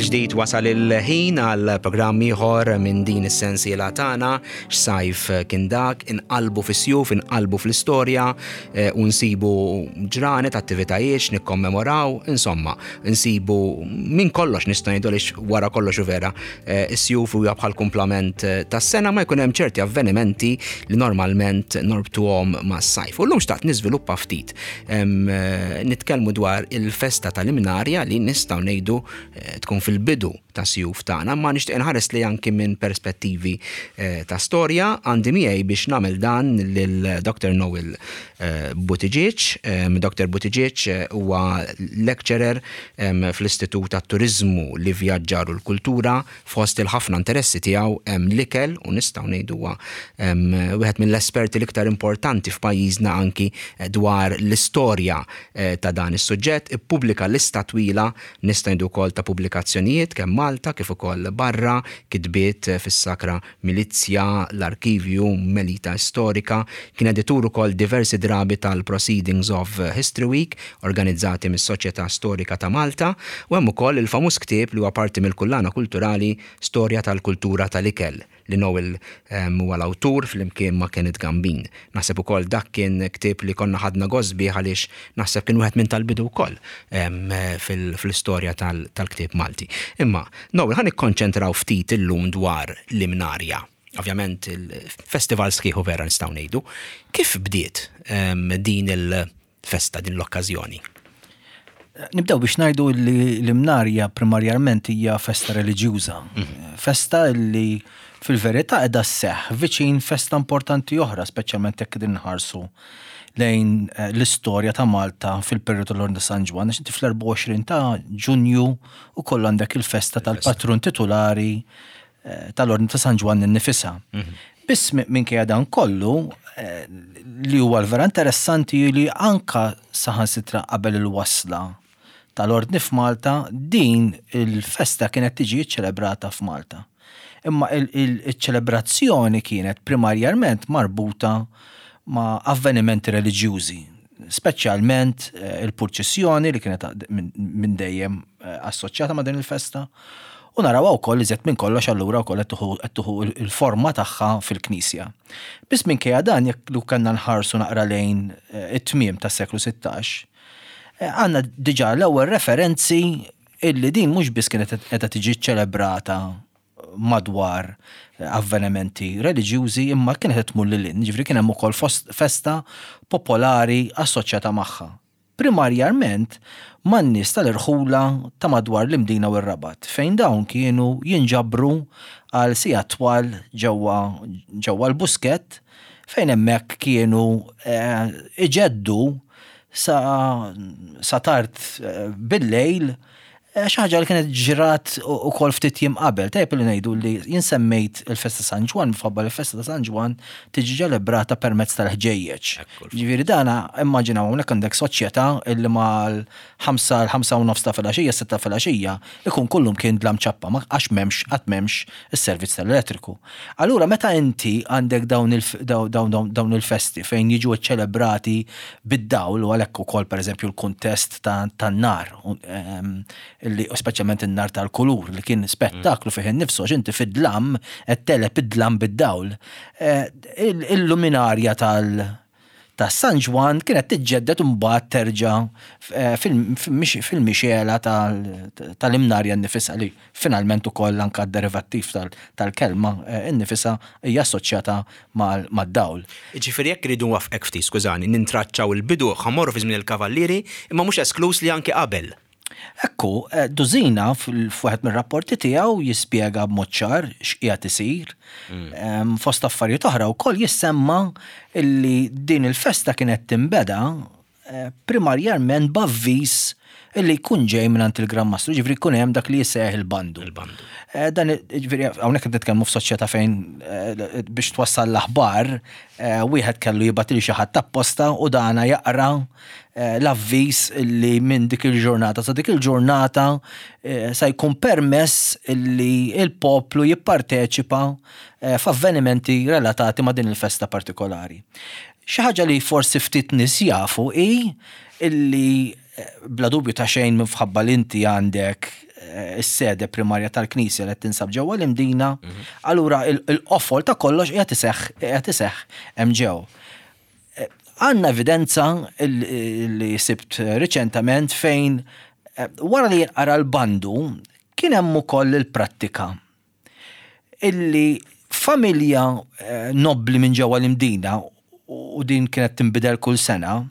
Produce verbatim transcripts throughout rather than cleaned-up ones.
Mill-ġdid wasal il-ħin għal programm ieħor minn din is-sensiela tagħna, x'sajf kien dak, inqalbu fis-sjuf, inqalbu fl-istorja eh, u nsibu ġranet, attivitajiet nikkommemoraw, insomma, nsibu minn kollox, nista' ngħidu, għaliex wara kollox u vera eh, is-sjuf huwa bħal kumplament eh, tas-sena, ma jkun hemm ċerti avvenimenti li normalment norbtuhom mas-sajf. U llum xtaqt niżviluppa ftit. Em, eh, Nitkellmu dwar il-festa tal-Imnarja li nistgħu ngħidu eh, tkun fil-bidu ta' sjuf tagħna, ma nixtieq nħares li anki minn perspettivi eh, ta' storja. Għandi miegħi biex nagħmel dan lil Doctor Noel eh, Buttigieg. Em, Doctor Buttigieg eh, huwa lecturer em, fl-Istitut tat-Turizmu, l-Ivvjaġġar u l-Kultura. Fost il-ħafna interessi tiegħu hemm l-ikel u nistgħu ngħidu huwa em, wieħed mill-esperti l-iktar importanti f'pajjiżna anki eh, dwar l-istorja eh, ta' dan is-suġġett. Ippubblika lista twila, nista' ngħidu wkoll, ta' pubblikazzjonijiet kemm Malta kif ukoll barra, kitbiet eh, fis-Sakra Milizja, l-Arkivju, Melita Storika, kien editur ukoll diversi drabi tal-Proceedings of History Week organizzati mis-Soċjetà Storika ta' Malta, u hemm ukoll il-famuż ktieb li huwa parti mill-kullana kulturali Storja tal-Kultura tal-Ikel, li Noel em, huwa l-awtur flimkien ma' Kenneth Gambin. Naħseb ukoll dak kien ktieb li konna ħadna gost bih għaliex naħseb kien wieħed minn tal-bidu wkoll em, fil- fil-istorja tal- tal-ktieb Malti. Imma, Noel, ħa nikkonċentraw ftit illum dwar l-Imnarja. Ovvjament il-festival sħiħu vera nistgħu ngħidu. Kif bdiet em, din il-festa, din l-okkażjoni? Nibdew biex ngħidu li l-Imnarja primarjament hija festa reliġjuża. Festa li fil-verità qiegħda sseħħ viċin festa importanti oħra, speċjalment jekk qegħdin nħarsu lejn eh, l-istorja ta' Malta fil-periodu tal-Ordni San Ġwann, għax inti fl-erbgħa u għoxrin ta' Ġunju u koll għandek il-festa tal-patrun titulari eh, tal-Ordni ta' San Ġwann innifisha. Biss mi- minkejja dan kollu, eh, li huwa l-vera interessanti li anka saħansitra qabel il-wasla tal-Ordni f'Malta, din il-festa kienet tiġi ċelebrata f'Malta. Imma il-ċelebrazzjoni kienet primarjament marbuta ma' avvenimenti reliġjużi, speċjalment eh, il-purċissjoni li kienet minn min dejjem eh, assoċjata ma' din il-festa. U naraw wkoll iżjed minn kollox allura wkoll qed tieħu qed tieħu il-forma tagħha fil-Knisja. Biss minkejja dan, jekk lu kellna nħarsu naqra lejn eh, it-tmiem tas-seklu sittax, eh, għandna diġà l-ewwel referenzi illi din mhux biss kienet qiegħda tiġi ċelebrata madwar avvenimenti reliġjużi, imma kienet qed tmur lil hinn, ġifieri kien hemm ukoll fost- festa popolari assoċjata magħha. Primarjament man-nies tal-irħula ta' madwar l-Imdina u r-Rabat, fejn dawn kienu jinġabru għal sigħat twal ġewwa ġewwa l-Buskett, fejn hemmhekk kienu eh, iġeddu sa, sa tard eh, bil-lejl eh, xi ħaġa li kienet ġrat ukoll ftit jiem qabel. Tajjeb li ngħidu li jien semmejt il-festa San Ġwann minħabba li l-festa ta' San Ġwann tiġi ċelebrata permezz tal-ħġejjeġ. Ġifieri dana immaġinaw, hawnhekk għandek soċjetà illi mal-ħamsa, l-ħamsa u nofs ta' filgħaxija, sitta filgħaxija, ikun kullum kien dlam ċappa, ma għax m'hemmx, qatt m'hemmx is-servizz tal-elettriku. Allura meta inti għandek dawn il- daw- dawn dawn- dawn il-festi fejn jiġu ċelebrati bid-dawl, u għalhekk ukoll, pereżempju, l-kuntest ta' tan-nar, u, ehm, illi u speċjalment in-nar tal-kulur li kien spettaklu fih innifsu, għax inti fid-dlam qed tegħleb id-dlam bid-dawl. Eh, il- Il-luminarja tal- ta' San Ġwann kienet tiġġedded u mbagħad terġa' eh, fil- fil-mixela tal-Imnarja nnifisha, li finalment ukoll anka d-derivattiv tal-kelma eh, innifisha hija assoċjata mad-dawl. Ġifieri jekk iridu nwaffqek ftit, skużani, nintraċċaw il-bidu, ħa mmorru fi żmien il-Kavallieri, imma mhux esklus li anke qabel. Ekku, eh, Dusina fil-fuħet mir-rapporti tiegħu jispjega b'mod ċar x'qiegħed isir. Em, Fost affarijiet oħra wkoll jissemma illi din il-festa kienet timbeda eh, primarjament b'avviż illi jkun ġej minn il-Gran Mastru, ġifieri jkun hemm dak li jisseħ il-bandu. Il-bandu. Eh, Dan ġifieri hawnhekk qed nitkellmu f'soċjetà fejn eh, biex twassal l-aħbar eh, wieħed kellu jibgħat lil xi ħadd apposta u dana jaqra eh, l-avviż li minn dik il-ġurnata sa dik il-ġurnata eh, sa jkun permess li il-poplu jipparteċipa eh, f'avvenimenti relatati ma' din il-festa partikolari. Xi ħaġa li forsi ftit nies jafu hi illi eh, bla dubju ta' xejn minħabba li inti għandek eh, is-sede primarja tal-Knisja li tinsab ġewwa l-Imdina, allura il-qofol ta' kollox qiegħed iseħħ qiegħed iseħħ hemm ġew. Eh, Għandna evidenza li sibt riċentament fejn eh, wara li jinqara l-bandu kien hemm ukoll il-prattika illi familja nobbli minn ġewwa l-Imdina, u din kienet tinbidel kull sena,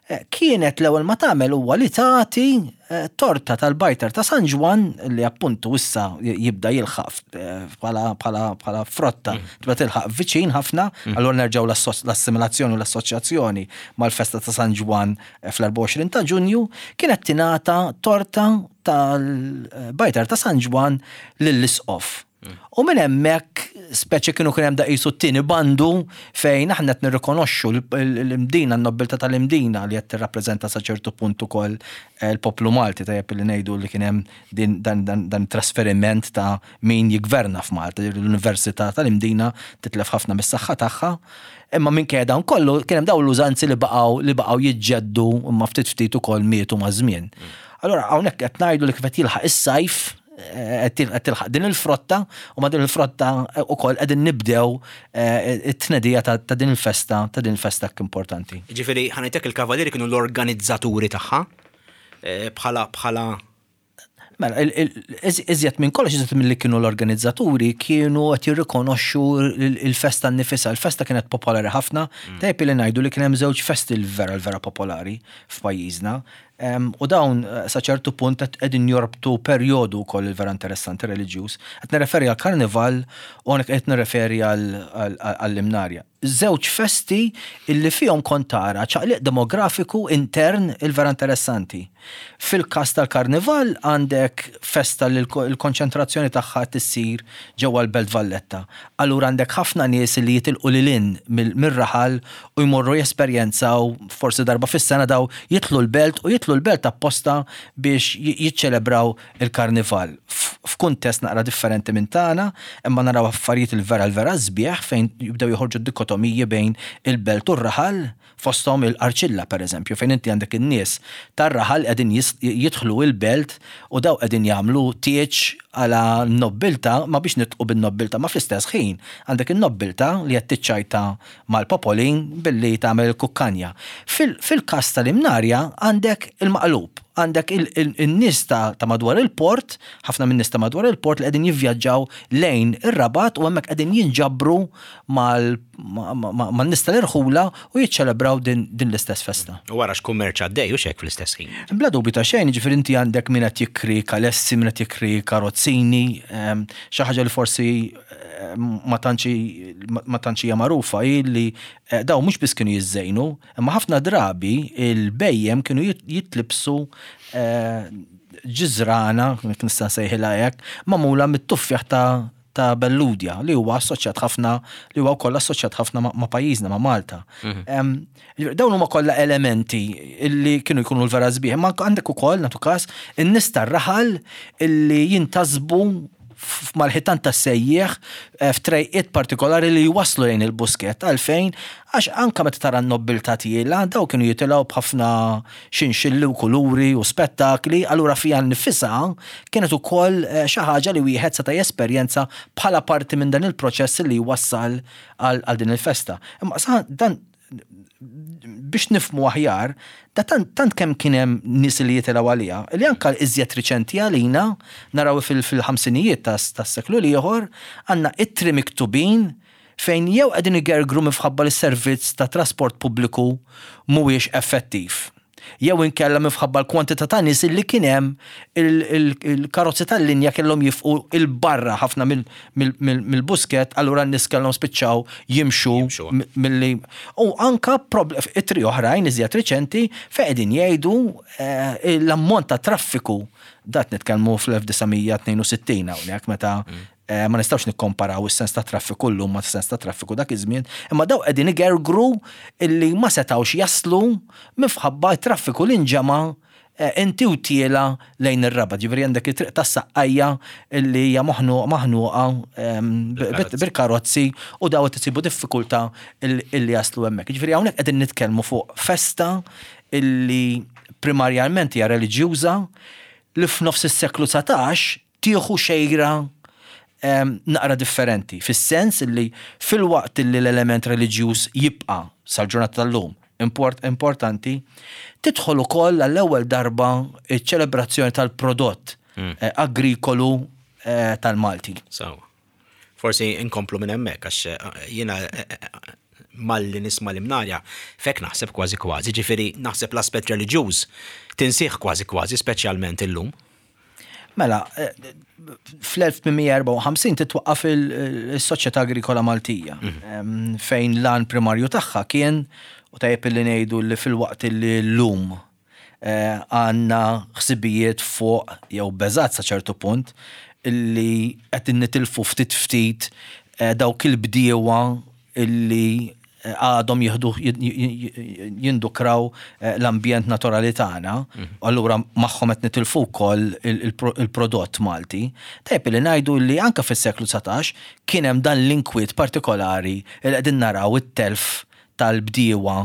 eh, kienet l-ewwel ma tagħmel huwa li tagħti eh, torta tal-bajtar ta' San Ġwann, li appuntu issa jibda jilħaq eh, bħala frotta, mm. tibda tilħaq viċin ħafna, mm. allura nerġgħu l-assimilazzjoni u l-assoċjazzjoni mal-festa ta' San Ġwann fl-erbgħa u għoxrin ta' Ġunju, kienet tingħata torta tal-bajtar ta' San Ġwann lill-isqof. U minn hemmhekk speċi kienu kien hemm daqisu t-tieni bandu fejn aħna qed nirrikonoxxu l-Imdina, n-nobbiltà tal-Imdina li qed tirrappreżenta sa ċertu punt ukoll eh, l-poplu Malti. Tajjeb li ngħidu li kien hemm din dan, dan, dan trasferiment ta' min jigverna f'Malta, l-Università tal-Imdina titlef ħafna mis-saħħa tagħha. Imma minn dawn kollu kien hemm dawn l-użanzi li baqgħu li baqgħu jiġġeddu, imma ftit ftit ukoll mietu maż-żmien. Allora hawnhekk qed ngħidu li kif qed jilħaq is-sajf, qed tilħaq din il-frotta, u ma din il-frotta ukoll qegħdin nibdew eh, it-tnedija ta' ta' din il-festa ta' din il-festa importanti. Ġifieri, ħa ngħidlek, il-kavalieri kienu l-organizzaturi tagħha eh, bħala bħala Mela, il- il- iż- iżjed minn kollox, iżjed mill-li kienu l-organizzaturi, kienu qed jirrikonoxxu il- il-festa nnifisha. Il-festa kienet popolari ħafna. Tajjeb li ngħidu li kien hemm żewġ festi l-vera l-vera popolari f'pajjiżna. Em, U dawn eh, sa ċertu punt qed qegħdin jorbtu perjodu wkoll il-vera interessanti reliġjuż. Qed nirreferi għal karnival u hawnhekk qed nirreferi għall-Imnarja. Żewġ festi illi fihom kont tara ċaqliq demografiku intern il-vera interessanti. Fil-każ tal-karnival għandek festa li l-konċentrazzjoni tagħha tissir ġewwa l-Belt Valletta. Allura għandek ħafna nies li jitilqu lil hinn mir-raħal u jmorru jesperjenzaw forsi darba fis-sena, daw jitlu l-belt u jitlu l-belt apposta biex jiċċelebraw il-karnival. F'kuntest naqra differenti minn tagħna, imma naraw affarijiet il-vera l-vera sbieħ fejn jibdew joħorġu dikotomiji bejn il-belt u r-raħal, fosthom il-Qarċilla per eżempju, fejn inti għandek in-nies tar-raħal qegħdin jidħlu il-belt u daw qegħdin jagħmlu tieġ għala nobbiltà, ma biex nitqu bin-nobbiltà, ma fl-istess ħin għandek in-nobbiltà li qed tiċċajta mal-popolin billi tagħmel kukkanja. Fil-każ tal-Imnarja għandek il-maqlub, għandek il-nies ta' madwar il-port, ħafna minn nies ta' madwar il-port li qegħdin jivvjaġġaw lejn ir-Rabat u hemmhekk qegħdin jinġabru man-nies tal-irħula u jiċċelebraw din l-istess festa. U wara x'kummerċ għaddej u xek fl-istess ħin. Bla dubju ta' xejn, ġifieri inti għandek min qed jikri kalessi, min qed jikri karozzini, xi ħaġa li forsi ma tantx hija magħrufa hi li eh, daw mhux biss kienu jiżżejnu, imma ħafna drabi il-bhejjem kienu jitlibsu eh, ġiżrana, nista' nsejħilha hekk, magħmula mit-tuffieħ ta' ta' Belludja li huwa assoċjat ħafna li huwa wkoll assoċjat ħafna ma' pajjiżna, ma' Malta. Mhm. Dawn huma kollha elementi illi kienu jkunu l-vera sbieħ, ma għandek ukoll nagħtu każ in-nies tar-raħal illi jintasbu mal-ħitan ta' sejjieħ eh, f'trejqiet partikolari li jwaslu lejn il-Buskett. Għalfejn? Għax anka meta tara n-nobbiltà tiela, daw kienu jitilgħu b'ħafna xinxilli u kuluri u spettakli, allura fija nifisha kienet ukoll eh, xi ħaġa li wieħed seta' jesperjenza bħala parti minn dan il-proċess li jwassal għal din il-festa. Imma sa dan biex nifmu aħjar, da tant, tant kemm kien hemm nies li jitilgħu għaliha, li anka iżjed riċenti għalina, naraw fil-ħamsinijiet tas-seklu l-ieħor, għandna ittri miktubin fejn jew qegħdin igergru minħabba li s-servizz ta' trasport pubbliku mhuwiex effettiv, jew inkella minħabba l-kwantità ta' nies li kien hemm, il-karozzi tal-linja kellhom jieqfu 'il barra ħafna mill-Buskett, allura n-nies kellhom spiċċaw jimxu milli. U anka ittri oħrajn iżjed riċenti fejn qegħdin jgħidu eh, l-ammont ta' traffiku, dat nitkellmu fl-elf disa' mija tnejn u sittin hawnhekk, meta mm. eh, ma nistgħux nikkomparaw is-sens ta' traffiku llum ma' sens ta' traffiku dak iż-żmien, imma daw qegħdin igergru illi ma setgħux jaslu minħabba traffiku li nġema' eh, inti u tiela lejn ir-Rabat. Ġifieri għandek it-triq tas-Saqqajja illi hija maħnuqa bil-karozzi u daw qed isibu diffikultà illi jaslu hemmhekk. Ġifieri hawnhekk qegħdin nitkellmu fuq festa illi primarjalment hija reliġjuża, Li f'nofs is-seklu dsatax tieħu xejra naqra differenti, fis-sens li filwaqt li l-element reliġjuż jibqa' sal-ġurnata tal-lum import, importanti, tidħol ukoll għall-ewwel darba iċ-ċelebrazzjoni tal-prodott mm. eh, agrikolu eh, tal-Malti. So, forsi inkomplu minn hemmhekk għax eh, jiena malli nisma' l-Imnarja, fek naħseb kważi kważi, ġifieri naħseb l-aspett reliġjuż tinsih kważi kważi, speċjalment illum. Mela, fl-elf tmien mija erbgħa u ħamsin titwaqqaf il-Soċjetà Agrikola Maltija, mhm. fejn l-għan primarju tagħha kien, u tajjeb li ngħidu li filwaqt li llum eh, għandna ħsibijiet fuq jew beżat sa ċertu punt illi qed nitilfu ftit ftit eh, dawk il-bdiewa illi eh, għadhom jieħdu jindukraw l-ambjent naturali tagħna, mhm. allura magħhom qed nitilfu wkoll il-prodott Malti. Tajjeb li ngħidu li anke fis-seklu dsatax kien hemm dan l-inkwiet partikolari li qegħdin naraw it-telf tal-bdiewa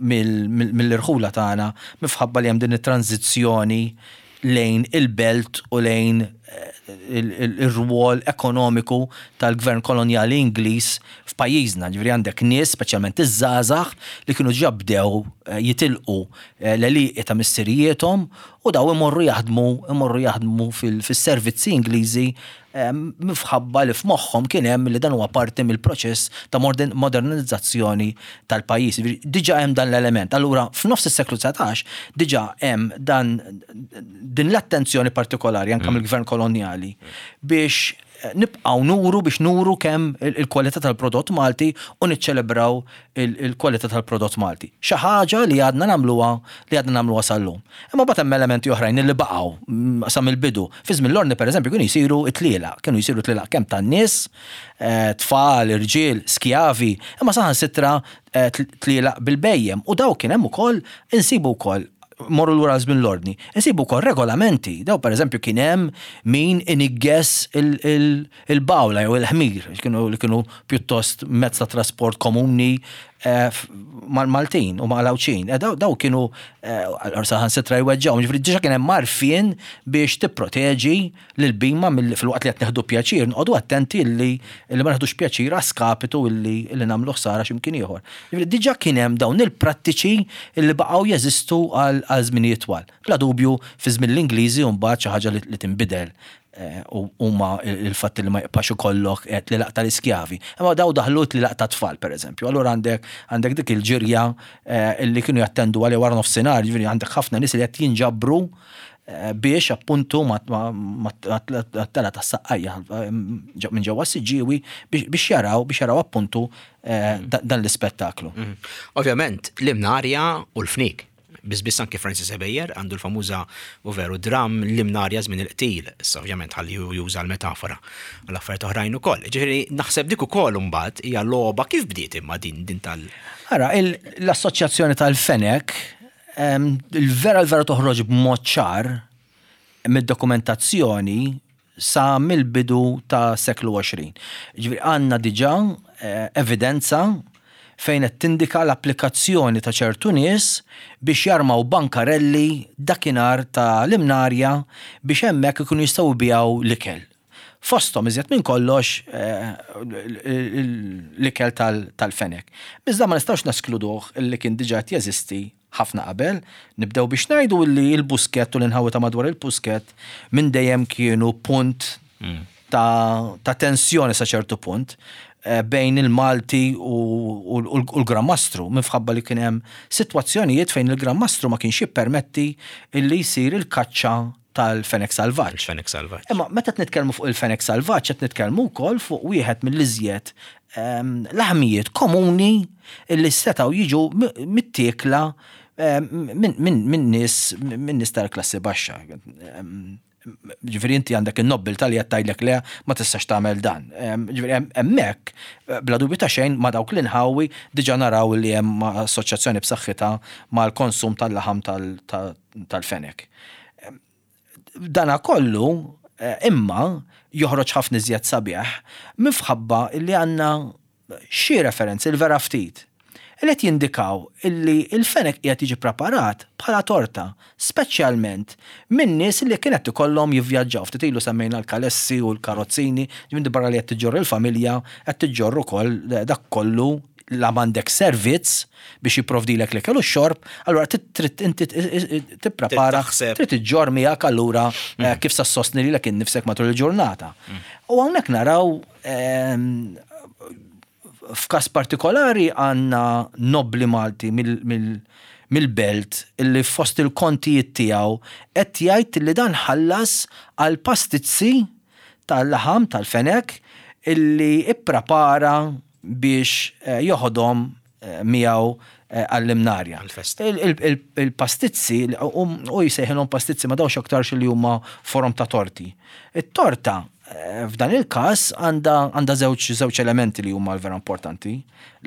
mill-irħula tagħna minħabba li hemm din it-tranzizzjoni lejn il-belt u lejn eh, il-rwol ekonomiku tal-gvern kolonjali Ingliż f'pajjiżna. Ġifieri għandek nies, speċjalment iż-żgħażagħ, li kienu ġa bdew eh, jitilqu eh, l-għelieqi ta' missirijiethom u daw imorru jaħdmu imorru jaħdmu fis-servizzi Ingliżi minħabba li f'moħħhom kien hemm li dan huwa parti mill-proċess ta' modernizzazzjoni tal-pajjiż. Diġà hemm dan l-element. Allura f'nofs is-seklu dsatax diġà hemm dan din l-attenzjoni partikolari anke mm. mill-gvern kolonjali biex nibqaw nuru biex nuru kemm il-kwalità tal-prodott Malti u niċċelebraw il-kwalità tal-prodott Malti. Xi ħaġa li għadna nagħmluha li għadna nagħmluha sal-lum. Imma mbagħad hemm elementi oħrajn li baqgħu mm, sa mill-bidu. Fi żmien l-Ordni, pereżempju, kienu jsiru tlielaq, kienu jsiru tlielaq kemm tan-nies, eh, tfal, irġiel, skjavi, imma saħansitra eh, tlielaq bil-bhejjem u daw kien hemm ukoll insibu wkoll, morru lura żmien l-Ordni, insibu wkoll regolamenti. Daw, per eżempju, kien hemm min inigges il-bawla jew il-ħmir, kienu li kienu pjuttost mezz ta' trasport komuni eh, mal-Maltin u mal-Għawdxin. Eh, daw kienu eh, saħansitra jweġġaw, ġifieri diġà kien hemm għarfien biex tipproteġi l-bhima filwaqt li qed neħdu pjaċir, noqogħdu attenti li li ma neħdux pjaċir a skapitu illi illi nagħmlu ħsara x'imkien ieħor. Ġifieri diġà kien hemm dawn il-prattiċi li baqgħu jeżistu għal żminijiet twal. Bla dubju, fi żmien l-Ingliżi mbagħad xi ħaġa li tinbidel eh, huma il-fatt li ma jibqax ikollok tlielaq tal-iskjavi. Imma daw daħlu tlielaq ta' tfal, pereżempju. Allura għandek għandek dik il-ġirja eh, illi kienu jattendu għalih wara nofsinhar, ġifieri għandek ħafna nies li qed jinġabru eh, biex appuntu mat-telgħa tas-Saqqajja minn ġewwa Siġġiewi biex jaraw biex jaraw appuntu dan l-ispettaklu. Mhm. Ovvjament, l-Imnarja u l-fniek. Bizbis anke Francis Ebejer għandu l-famuża u veru dram L-Imnarja żmien il-qtil, issa ovvjament ħalli juża l-metafora u l-affarijiet oħrajn ukoll. Ġifieri naħseb dik ukoll imbagħad hija logħba kif bdiet imma din din tal. Ara, l-assoċjazzjoni tal-fenek, il-vera l-vera toħroġ b'mod ċar mid-dokumentazzjoni sa mill-bidu ta' seklu għoxrin. Ġifieri għandna diġà eh, evidenza fejn qed tindika l-applikazzjoni ta' ċertu nies biex jarmaw bankarelli dakinhar ta' l-Imnarja biex hemmhekk ikunu jistgħu jbigħu l-ikel. Fosthom iżjed minn kollox eh, l-ikel tal-fenek. Iżda ma nistgħux neskluduh li kien diġà qed jeżisti ħafna qabel. Nibdew biex ngħidu li l-Buskett u l-inħawi ta' madwar il-Buskett minn dejjem kienu punt mm. ta', ta tensjoni sa ċertu punt eh, bejn il-Malti u, u, u l-Gran Mastru, minħabba li kien hemm sitwazzjonijiet fejn il-Gran Mastru ma kienx jippermetti illi jsir il-kaċċa tal-fenek salvaġġ. Il-fenek salvaġġ. Imma meta qed nitkellmu fuq il-fenek salvaġġ, qed nitkellmu wkoll fuq wieħed mill-iżjed ehm, laħmijiet komuni illi setgħu jiġu mittiekla ehm, minn nies minn nies tal-klassi baxxa. Ehm, ġifieri inti għandek in-nobbiltà li qed tgħidlek le, ma tistax tagħmel dan. Ġifieri hemmhekk, bla dubju ta' xejn, ma' dawk l-inħawi diġà naraw li hemm assoċjazzjoni b'saħħitha mal-konsum tal-laħam tal-fenek. Dana kollu eh, imma joħroġ ħafna iżjed sabiħ minħabba li għandna xi referenzi, il-vera ftit, Li qed jindikaw illi il-fenek qiegħed jiġi preparat bħala torta, speċjalment minn nies li kienet ikollhom jivvjaġġaw. Ftit ilu semmejna l-kalessi u l-karozzini, ġifieri barra li qed tiġġorr il-familja, qed tiġġorr ukoll dak kollu la m'għandek servizz biex jipprovdilek l-ikel u x-xorb, allura trid inti tipprepara, trid iġġorr miegħek allura mm. kif sa ssostni lilek innifsek matul il-ġurnata. Mm. U hawnhekk naraw ehm, f'każ partikolari għandna nobli Malti mill-belt illi fost il-kontijiet tiegħu qed jgħid li dan ħallas għal pastizzi tal-laħam tal-fenek illi ipprepara biex eh, joħodhom eh, miegħu eh, għall-Imnarja. Il-pastizzi, u jsejħilhom pastizzi ma dawx aktarx li huma forom ta' torti. It-torta f'dan il-każ għandha żewġ żewġ elementi li huma vera importanti.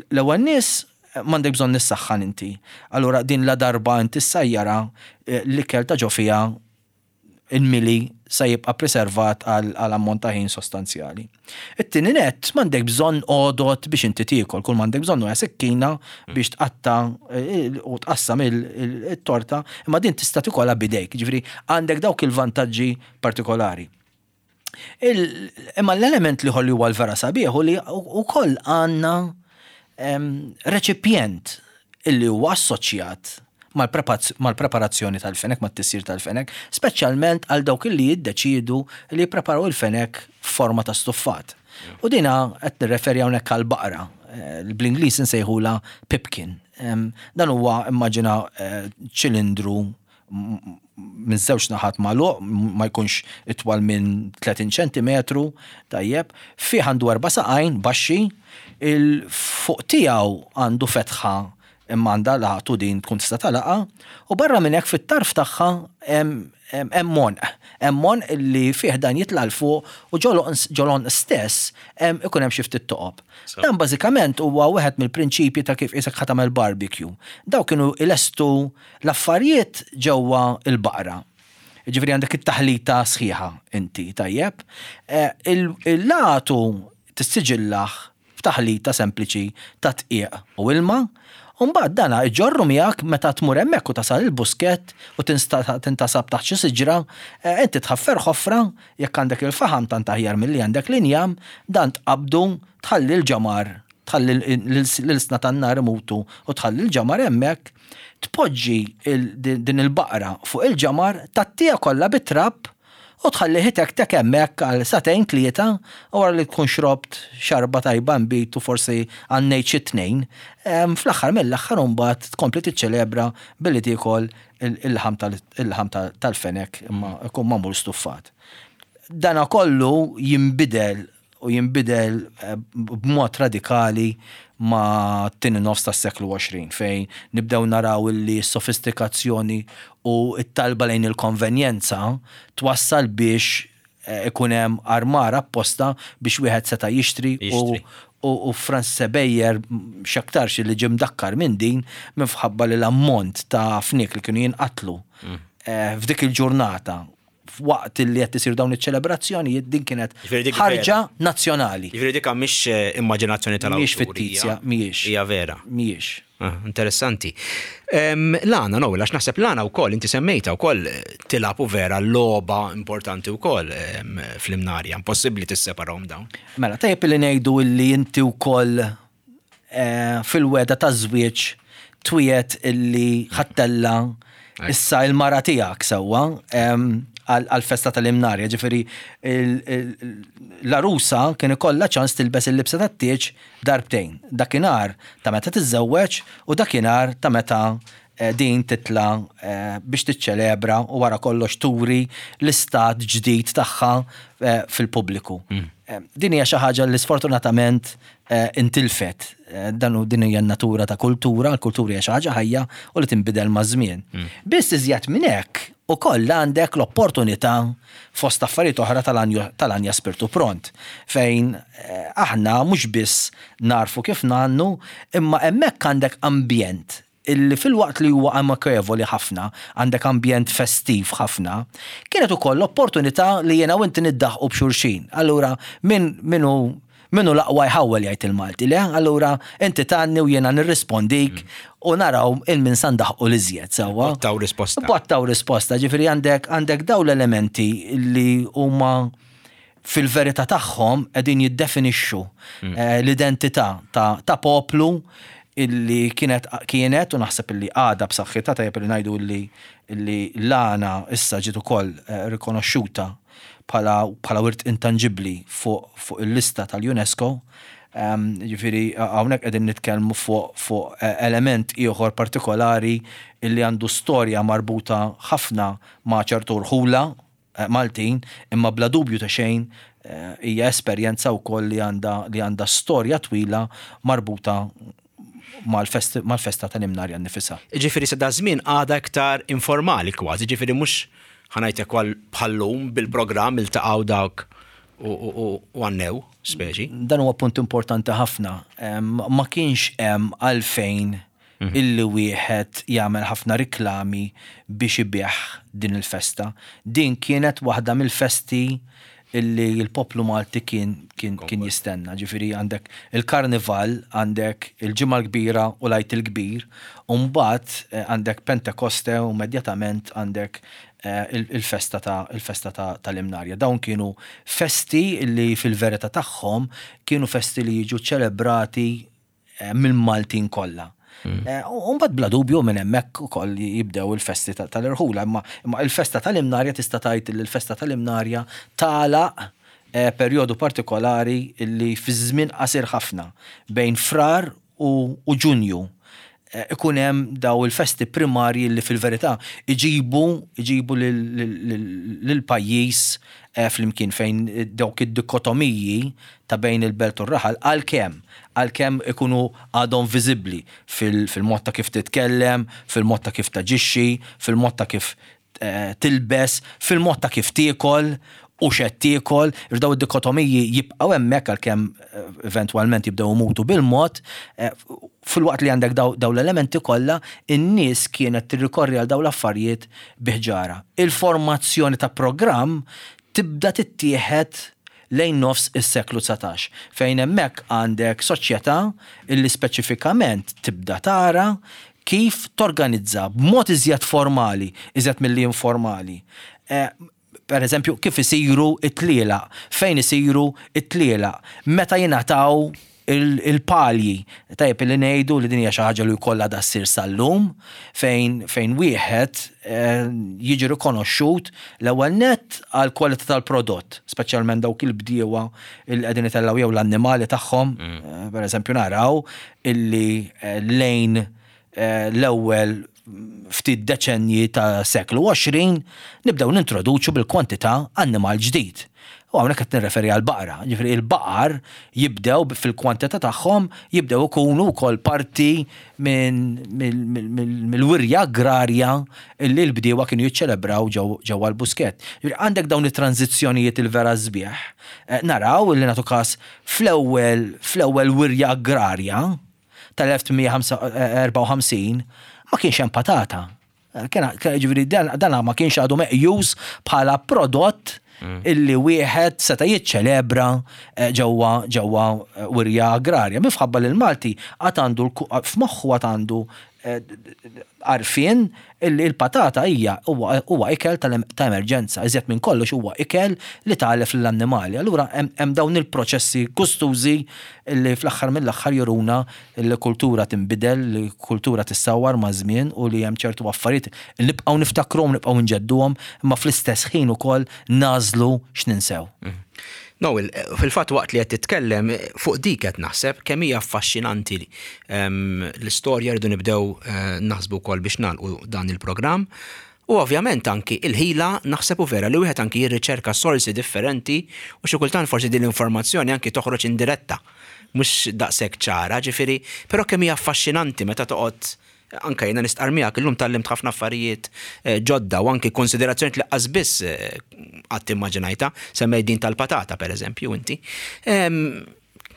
L-ewwel nies m'għandek bżonn nissaħħan inti. Allura din la darba inti ssajjara l-ikel ta' ġo fiha il-mili sa jibqa' preservat għal ammont ta' ħin sostanzjali. It-tieni net m'għandek bżonn għodod biex inti tiekol, kull m'għandek bżonn huwa sikkina biex tqatta u tqassam il-torta, imma din tista' tikolha b'idejk, ġifieri għandek dawk il-vantaġġi partikolari. Imma l-element li ħolli huwa l-vera sabiħ u li wkoll għandna reċipjent illi huwa assoċjat mal-preparazzjoni tal-fenek, mat-tisjir tal-fenek, speċjalment għal dawk li jiddeċidu li jippreparaw il-fenek f'forma ta' stuffat. U dina qed nirreferi hawnhekk għal baqra, eh, bl-Ingliż insejħula pipkin. Dan huwa immaġina eh, ċilindru minn żewġ naħat magħluq, ma jkunx itwal minn tletin ċentimetru, tajjeb, fih għandu erba' saqajn baxxi, il-fuq tiegħu għandu fetħa imma għandha laqtu din tkun tista' talaqa, u barra minn hekk fit-tarf tagħha hemm monq. Hemm monq li fih dan jitla' 'l fuq u ġolon stess ikun hemm xi ftit toqob. Dan bażikament huwa wieħed mill-prinċipji ta' kif isek ħa tagħmel barbecue. Daw kienu ilestu l-affarijiet ġewwa il-baqra. Ġifieri għandek it-taħlita sħiħa inti, tajjeb. Eh, il-latu tissiġillah f'taħlita sempliċi ta' dqiq u ilma. Umbagħad dana iġorru miegħek meta tmur hemmhekk u tasal il-buskett u tintasab taħt xi siġra, eh, inti tħaffer ħofra, jekk għandek il-faħam tant aħjar milli għandek l-injam, dan tqabdu tħalli l-ġamar, tħalli l-ilsna tan-nar imutu u tħalli l-ġamar hemmhekk, tpoġġi din il-baqra fuq il-ġamar, tattija kollha bit-trab u tħalli tek tek hemmhekk għal sagħtejn tlieta, u wara li tkun xrobt xarba tajba nbid u forsi għannejt xi tnejn, fl-aħħar mill-aħħar imbagħad tkompli tiċċelebra billi tiekol il-laħam tal-fenek imma jkun magħmul stuffat. Dana kollu jinbidel u jinbidel eh, b'mod radikali ma' t-tieni nofs tas-seklu għoxrin, fejn nibdew naraw li s-sofistikazzjoni u t-talba lejn il-konvenjenza twassal biex eh, ikun hemm armar apposta biex wieħed seta' jixtri u u Francis Ebejer x'aktarx li ġie mdakkar minn din minħabba li l-ammont ta' fniek li kienu jinqatlu mm. eh, f'dik il-ġurnata waqt li qed isir dawn iċ-ċelebrazzjonijiet din kienet ħarġa nazzjonali. Jiġifieri dik mhix eh, immaġinazzjoni tal Mhijiex fittizja, mhijiex. Hija vera. Mhijiex. Ah, interessanti. L-għana, no, għax naħseb l-għana wkoll, inti semmejta wkoll tilgħab u vera logħba importanti wkoll fl-Imnarja, impossibbli tisseparahom dawn. Mela, tajjeb li ngħidu illi inti wkoll eh, fil-weda ta' żwieġ twiet illi ħattella issa il-mara tiegħek sewwa għal-festa tal-Imnarja, ġifieri l-arusa kien ikollha ċans tilbes il-libsa tat-tieġ darbtejn. Dakinhar ta' meta tiżżewweġ u dakinhar ta' meta eh, din titla eh, biex tiċċelebra u wara kollox turi l-istat ġdid tagħha eh, fil-pubbliku. Mm. Din hija xi ħaġa li sfortunatament intilfet. Dan din hija n-natura ta' kultura, l-kultura hija xi ħaġa ħajja u li tinbidel maż-żmien. Mm. Biss iżjed minn hekk ukoll għandek l-opportunità fost affarijiet oħra tal-Anja Spirtu Pront, fejn aħna mhux biss narfu kif ngħannu, imma hemmhekk għandek ambjent illi fil-waqt li huwa amikevoli ħafna, għandek ambjent festiv ħafna, kienet ukoll l-opportunità li jiena u inti niddaħqu b'xulxin. Allura min minu Min hu l-aqwa jħawwel, jgħid il-Malti, le? Allura inti tgħanni u jiena nirrispondik u naraw 'il min sa ndaħħqu l-iżjed, sewwa. Botta u risposta. Botta u risposta, ġifieri għandek għandek daw l-elementi li huma fil-verità tagħhom qegħdin jiddefinixxu eh, l-identità ta', ta' poplu illi kienet kienet u naħseb illi għada b'saħħitha. Tajjeb li ngħidu illi illi l-għana issa ġiet ukoll eh, rikonoxxuta bħala bħala wirt intangibbli fuq fuq il-lista tal-UNESCO. Um, ġifieri hawnhekk qegħdin nitkellmu fuq fuq eh, element ieħor partikolari illi għandu storja marbuta ħafna ma' ċertu rħula eh, Maltin, imma bla dubju ta' xejn eh, hija esperjenza wkoll li għandha li għandha storja twila marbuta mal-fest- mal-festa tal-Imnarja nnifisha. Ġifieri sa da żmien għada iktar informali kważi, ġifieri mhux ħa ngħidlek bħal-lum bil-programm iltaqgħu dawk u- u u- u għannew, speċi. Dan huwa punt importanti ħafna. Em, Ma kienx hemm għalfejn illi wieħed jagħmel ħafna riklami biex ibigħ din il-festa. Din kienet waħda mill-festi illi l-poplu Malti kien, kien, kien jistenna. Ġifieri għandek il-Karnival, għandek il-Ġimgħa l-Kbira u l-Għid il-Kbir, u mbagħad eh, għandek Pentekoste u immedjatament għandek eh, il- il-festa ta' il-festa ta' tal-Imnarja. Dawn kienu festi illi fil-verità tagħhom kienu festi li jiġu ċelebrati eh, mill-Maltin kollha. Eh, U mbagħad bla dubju minn hemmhekk ukoll jibdew il-festi ta- tal-irħula, imma imma il-festa tal-Imnarja tista' tgħid li l-festa tal-Imnarja tagħlaq eh, perjodu partikolari illi fi żmien qasir ħafna bejn Frar u, u Ġunju eh, ikun hemm daw il-festi primarji li fil-verità iġibu iġibu lil pajjiż eh, flimkien, fejn dawk id-dikotomiji ta' bejn il-belt u r-raħal għalkemm għalkemm ikunu għadhom viżibbli fil-mod ta' kif titkellem, fil-mod ta' kif taġixxi, fil-mod ta' kif eh, tilbes, fil-mod ta' kif tiekol u x'qed tiekol, daw id-dikotomiji jibqgħu hemmhekk għalkemm eh, eventwalment jibdew imutu bil-mod, eh, fil-waqt li għandek daw, daw l-elementi kollha, in-nies kienet tirrikorri għal daw l-affarijiet biħġara. Il-formazzjoni ta' programm tibda tittieħed lejn nofs is-seklu dsatax, fejn hemmhekk għandek soċjetà illi speċifikament tibda tara kif torganizza b'mod iżjed formali, iżjed milli informali. Eh, per eżempju, kif isiru it-tlielaq, fejn isiru it-tlielaq, meta jingħataw il- il-palji. Tajjeb li ngħidu li din hija xi ħaġa li jkollha da ssir sal-lum, fejn fejn wieħed eh, jiġi rikonoxxut l-ewwel net għal kwalità tal-prodott, speċjalment dawk il-bdiewa il qegħdin itellgħu jew l-annimali tagħhom, eh, per eżempju naraw illi eh, lejn eh, l-ewwel ftit deċenji ta' seklu għoxrin nibdew nintroduċu bil-kwantità annimal ġdid. U hawnhekk qed nirreferi għal baqra. Ġifieri il-baqar jibdew fil-kwantità tagħhom jibdew ikunu wkoll parti minn mill-wirja agrarja illi l-bdiewa kienu jiċċelebraw ġewwa l-Buskett. Ġifieri għandek dawn it-tranzizzjonijiet il-vera sbieħ. Eh, Naraw illi nagħtu każ fl-ewwel fl-ewwel wirja agrarja tal-elf tmien mija erbgħa u ħamsin ma kienx hemm patata. Kien ġifieri dan dan ma kienx għadu meqjus bħala prodott illi wieħed seta' jiċċelebra eh, ġewwa ġewwa eh, wirja agrarja. Minħabba li l-Malti għad għandu l- f'moħħu għad għandu eh, għarfien illi l-patata hija huwa huwa ikel tal- ta' emerġenza, iżjed minn kollox huwa ikel li tagħlef lill-annimali. Allura hemm hemm dawn il-proċessi gustużi illi fl-aħħar mill-aħħar juruna li kultura tinbidel, li kultura tissawar ma' żmien u li hemm ċertu affarijiet li nibqgħu niftakruhom, nibqgħu nġedduhom, imma fl-istess ħin ukoll nagħżlu x'ninsew. Noel, fil-fatt waqt li qed titkellem fuq dik qed naħseb kemm hija affaxxinanti ehm, l-istorja. Rridu nibdew eh, naħsbu wkoll biex nagħlqu dan il-programm. U ovvjament anki il-ħila, naħseb u vera li wieħed anki jirriċerka sorsi differenti u xi kultant forsi din l-informazzjoni anki toħroġ indiretta, mhux daqshekk ċara, ġifieri, però kemm hija affaxxinanti meta toqgħod, anka jiena nistqar miegħek illum tgħallimt ħafna affarijiet eh, ġodda u anki konsiderazzjoni li qas biss eh, qatt immaġinajta, semmej din tal-patata per eżempju inti. Em,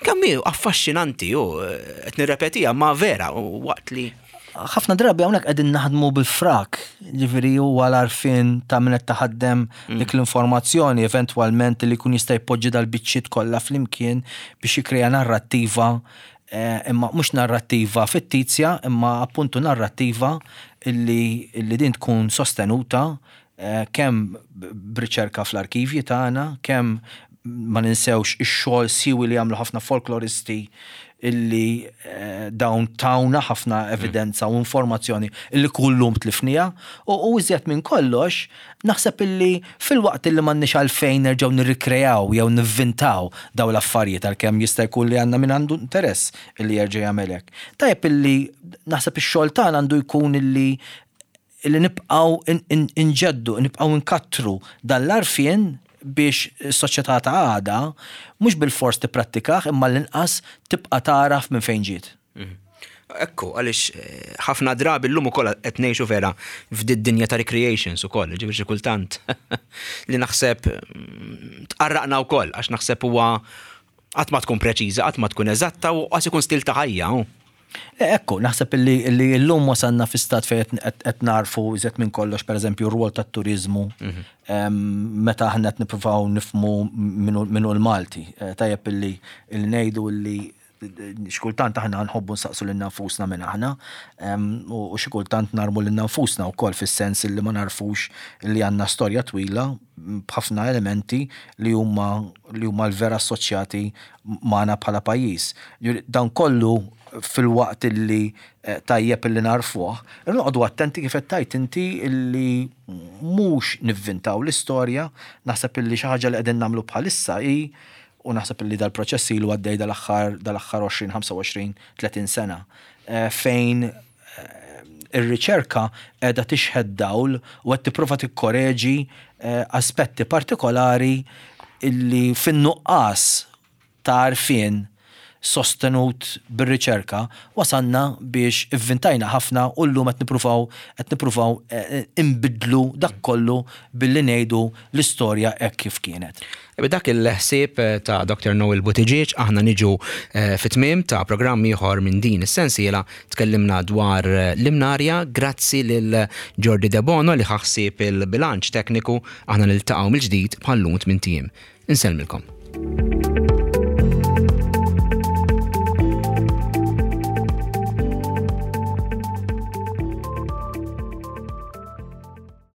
Kemm hi affaxxinanti u eh, qed nirrepetiha ma vera u waqt li Ħafna drabi hawnhekk qegħdin naħdmu bil-frak, ġifieri huwa l-għarfien ta' min qed taħaddem dik l-informazzjoni eventwalment li jkun jista' jpoġġi dal-biċċiet kollha flimkien biex jikkrea narrattiva, eh, imma mhux narrattiva fittizja, imma appuntu narrattiva illi, illi din tkun sostenuta eh, kemm b'riċerka fl-arkivji tagħna, kemm ma ninsewx ix-xogħol siwi li jagħmlu ħafna folkloristi illi eh, dawn tawna ħafna evidenza u informazzjoni illi kullum tlifnija u u iżjed minn kollox naħseb illi fil-waqt illi m'għandniex għalfejn nerġgħu nirrikrejaw jew nivvintaw daw l-affarijiet, għalkemm jista' jkun li għandna min għandu interess illi jerġa' jagħmel hekk. Tajjeb illi naħseb ix-xogħol tagħna għandu jkun illi illi nibqgħu inġeddu, nibqgħu nkattru dan l-għarfien biex is-soċjetà ta' għada mhux bil-fors tipprattikah, imma l-inqas tibqa' taraf minn fejn ġiet. Mhm. Ekku, għaliex eh, ħafna drabi llum ukoll qed ngħixu vera f'did dinja ta' recreations ukoll, ġifieri xi kultant li naħseb mm, tqarraqna wkoll, għax naħseb huwa qatt ma tkun preċiża, qatt ma tkun eżatta u qas ikun stil ta' ħajja. E, ekku, naħseb illi illi llum wasalna fi stat fejn qed narfu iżjed minn kollox, pereżempju, r-rwol tat-turiżmu mhm. meta aħna qed nippruvaw nifhmu minnu l-Malti. E, tajjeb illi ngħidu illi xkultant aħna nħobbu nsaqsu lilna nfusna minn aħna u xi kultant narmu lilna nfusna wkoll, fis-sens li ma narfux li għandna storja twila b'ħafna elementi li huma li huma l-vera assoċjati magħna bħala pajjiż. Dan kollu, fil-waqt illi eh, tajjeb illi narfuh, noqogħdu attenti, kif qed tgħid inti, illi mhux nivvintaw l-istorja. Naħseb illi xi ħaġa li qegħdin nagħmlu bħalissa hi, u naħseb illi dal-proċess ilu għaddej dal-aħħar dal-aħħar għoxrin, ħamsa u għoxrin, tletin sena, eh, fejn eh, ir-riċerka qiegħda tixħet dawl u qed tipprova tikkoreġi aspetti partikolari illi fin-nuqqas ta' għarfien sostenut bir-riċerka wasanna biex ivvintajna ħafna u llum qed nippruvaw qed nippruvaw eh, imbidlu dak kollu billi ngħidu l-istorja hekk kif kienet. B'dak il-ħsieb eh, ta' Doktor Noel Buttigieg aħna niġu eh, fit-tmiem ta' programm ieħor minn din is-sensiela. Tkellimna dwar l-Imnarja. Grazzi lil Jordi Debono li ħa ħsieb il-bilanċ tekniku. Aħna niltaqgħu mill-ġdid bħal-lum tmint ijiem. Insellmilkom.